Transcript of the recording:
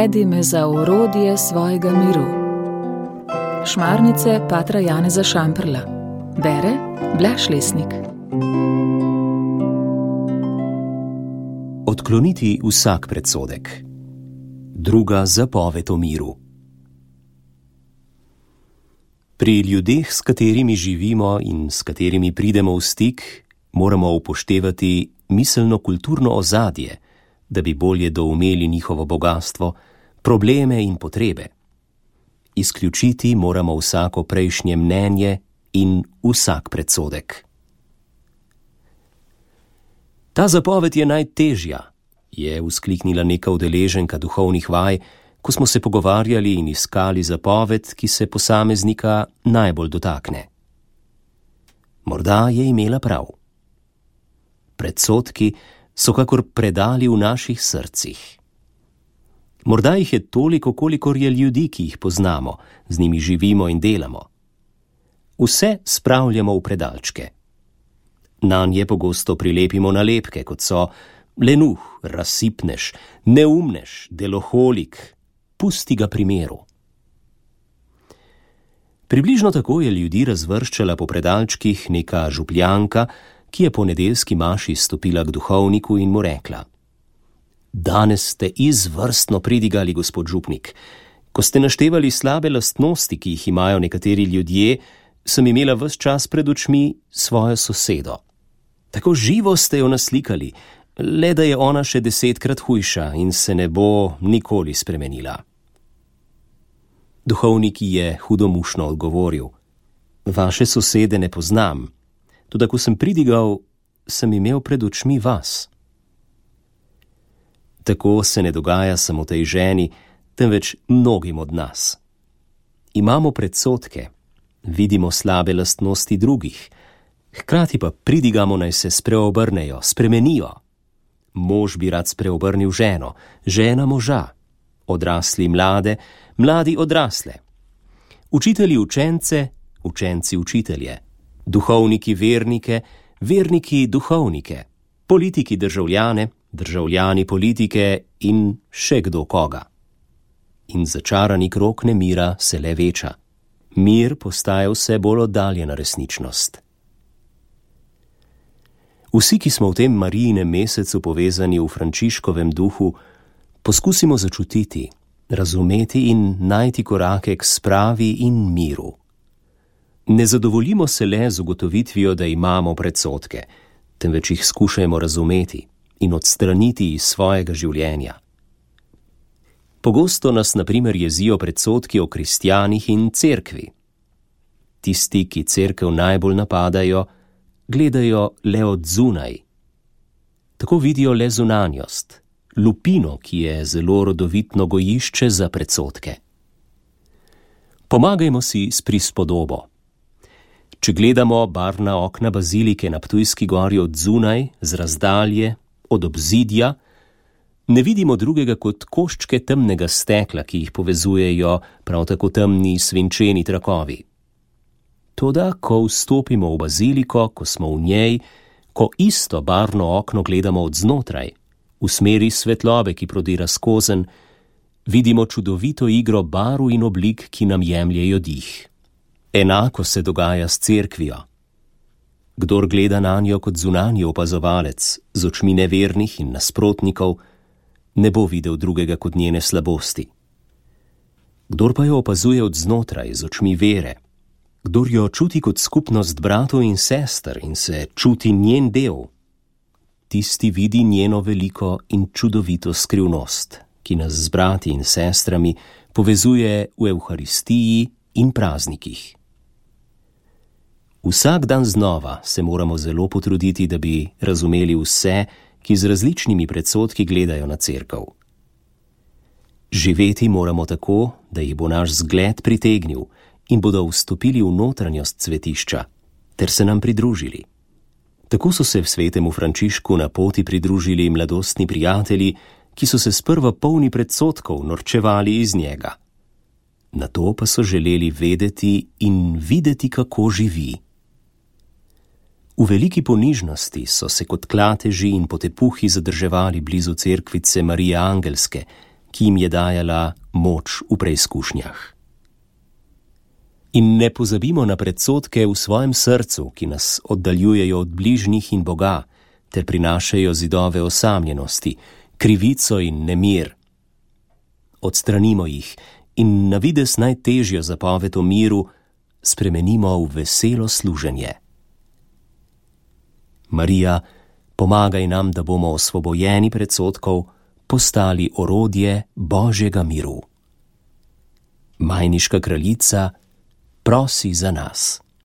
Navedi me za orodje svojega miru. Šmarnice patra Janeza Šamprla. Bere Blaž Lesnik. Odkloniti vsak predsodek. Druga zapoved o miru. Pri ljudeh, s katerimi živimo in s katerimi pridemo v stik, moramo upoštevati miselno-kulturno ozadje, da bi bolje doumeli njihovo bogastvo, probleme in potrebe. Izključiti moramo vsako prejšnje mnenje in vsak predsodek. Ta zapoved je najtežja, je vzkliknila neka udeleženka duhovnih vaj, ko smo se pogovarjali in iskali zapoved, ki se posameznika najbolj dotakne. Morda je imela prav. Predsodki so kakor predali v naših srcih. Morda jih je toliko, kolikor je ljudi, ki jih poznamo, z njimi živimo in delamo. Vse spravljamo v predalčke. Nanje pogosto prilepimo nalepke, kot so lenuh, razsipnež, neumnež, deloholik, pusti ga pri miru. Približno tako je ljudi razvrščala po predalčkih neka župljanka, ki je po nedeljski maši stopila k duhovniku in mu rekla: Danes ste izvrstno pridigali, gospod župnik. Ko ste naštevali slabe lastnosti, ki jih imajo nekateri ljudje, sem imela ves čas pred očmi svojo sosedo. Tako živo ste jo naslikali, le da je ona še 10-krat hujša in se ne bo nikoli spremenila. Duhovnik je hudomušno odgovoril: Vaše sosede ne poznam, toda ko sem pridigal, sem imel pred očmi vas. Tako se ne dogaja samo tej ženi, temveč mnogim od nas. Imamo predsodke, vidimo slabe lastnosti drugih, hkrati pa pridigamo, naj se spreobrnejo, spremenijo. Mož bi rad spreobrnil ženo, žena moža, odrasli mlade, mladi odrasle. Učitelji učence, učenci učitelje, duhovniki vernike, verniki duhovnike, politiki državljane, državljani politike in še kdo koga. In začarani krog nemira se le veča. Mir postaja vse bolj oddaljena resničnost. Vsi, ki smo v tem Marijinem mesecu povezani v Frančiškovem duhu, poskusimo začutiti, razumeti in najti korake k spravi in miru. Ne zadovoljimo se le z ugotovitvijo, da imamo predsodke, temveč jih skušajmo razumeti in odstraniti iz svojega življenja. Pogosto nas na primer jezijo predsodki o kristjanih in cerkvi. Tisti, ki cerkev najbolj napadajo, gledajo le od zunaj. Tako vidijo le zunanjost, lupino, ki je zelo rodovitno gojišče za predsodke. Pomagajmo si s prispodobo. Če gledamo barvna okna bazilike na Ptujski gori od zunaj, z razdalje, od obzidja, ne vidimo drugega kot koščke temnega stekla, ki jih povezujejo prav tako temni svinčeni trakovi. Toda, ko vstopimo v baziliko, ko smo v njej, ko isto barvno okno gledamo od znotraj, v smeri svetlobe, ki prodira skozenj, vidimo čudovito igro barv in oblik, ki nam jemljejo dih. Enako se dogaja s cerkvijo. Kdor gleda nanjo kot zunanji opazovalec, z očmi nevernih in nasprotnikov, ne bo videl drugega kot njene slabosti. Kdor pa jo opazuje od znotraj, z očmi vere, kdor jo čuti kot skupnost bratov in sester in se čuti njen del, tisti vidi njeno veliko in čudovito skrivnost, ki nas z brati in sestrami povezuje v Evharistiji in praznikih. Vsak dan znova se moramo zelo potruditi, da bi razumeli vse, ki z različnimi predsodki gledajo na cerkev. Živeti moramo tako, da jih bo naš zgled pritegnil in bodo vstopili v notranjost svetišča, ter se nam pridružili. Tako so se v svetemu Frančišku na poti pridružili mladostni prijatelji, ki so se sprva polni predsodkov norčevali iz njega. Nato pa so želeli vedeti in videti, kako živi. V veliki ponižnosti so se kot klateži in potepuhi zadrževali blizu cerkvice Marije Angelske, ki jim je dajala moč v preizkušnjah. In ne pozabimo na predsodke v svojem srcu, ki nas oddaljujejo od bližnjih in Boga, ter prinašajo zidove osamljenosti, krivico in nemir. Odstranimo jih in na vides najtežjo zapoved o miru spremenimo v veselo služenje. Marija, pomagaj nam, da bomo osvobojeni predsodkov postali orodje Božjega miru. Majniška kraljica, prosi za nas.